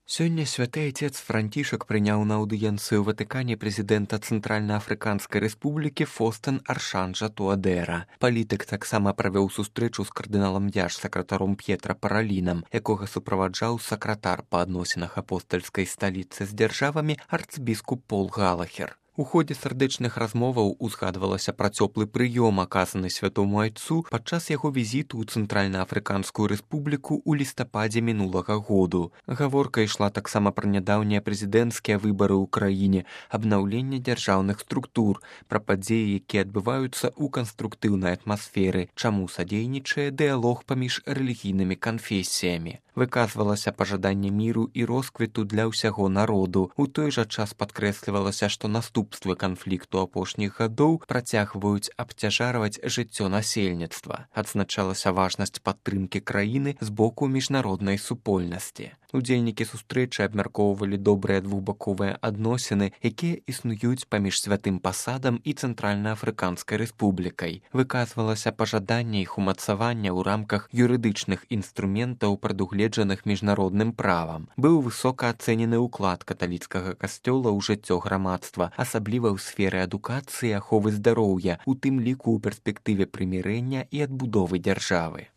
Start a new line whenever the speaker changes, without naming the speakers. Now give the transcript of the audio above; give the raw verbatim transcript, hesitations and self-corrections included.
Сёння святы айцец Францішак прыняў на аўдыенцыю ў Ватыкане прэзідэнта Цэнтральнаафрыканскай рэспублікі Фостэн Аршанжа Туадэра. Палітык таксама правёў сустрэчу з кардыналам дзяржсакратаром П'етра Паралінам, якога суправаджаў сакратар па адносінах апостальскай сталіцы з дзяржавамі арцбіскуп Пол Галахер. У ходзе сардэчных размоваў узгадвалася пра цёплы прыём, аказаны святому айцу падчас яго візіту ў Цэнтральнаафрыканскую рэспубліку ў лістападзе мінулага году. Гаворка ішла таксама пра нядаўнія прэзідэнцкія выбары ў краіне, абнаўленне дзяржаўных структур, пра падзеі, якія адбываюцца ў канструктыўнай атмасферы, чаму садзейнічае дыялог паміж рэлігійнымі канфесіямі. Выказвалася пажаданне міру і росквіту для ўсяго народу. У той жа час падкрэслівалася, што наступствы канфлікту апошніх гадоў працягваюць абцяжарваць жыццё насельніцтва. Адзначалася важнасць падтрымкі краіны з боку міжнароднай супольнасці. Удзельнікі сустрэчы абмяркоўвалі добрыя двухбаковыя адносіны, якія існуюць паміж святым пасадам і Цэнтральнаафрыканскай рэспублікай. Выказвалася пажаданне іх умацавання ў рамках юрыдычных інструментаў, прадугледжаных міжнародным правам. Быў высока ацэнены ўклад каталіцкага касцёла ў жыццё грамадства, асабліва ў сферы адукацыі і аховы здароўя, у тым ліку ў перспектыве прымірэння і адбудовы дзяржавы.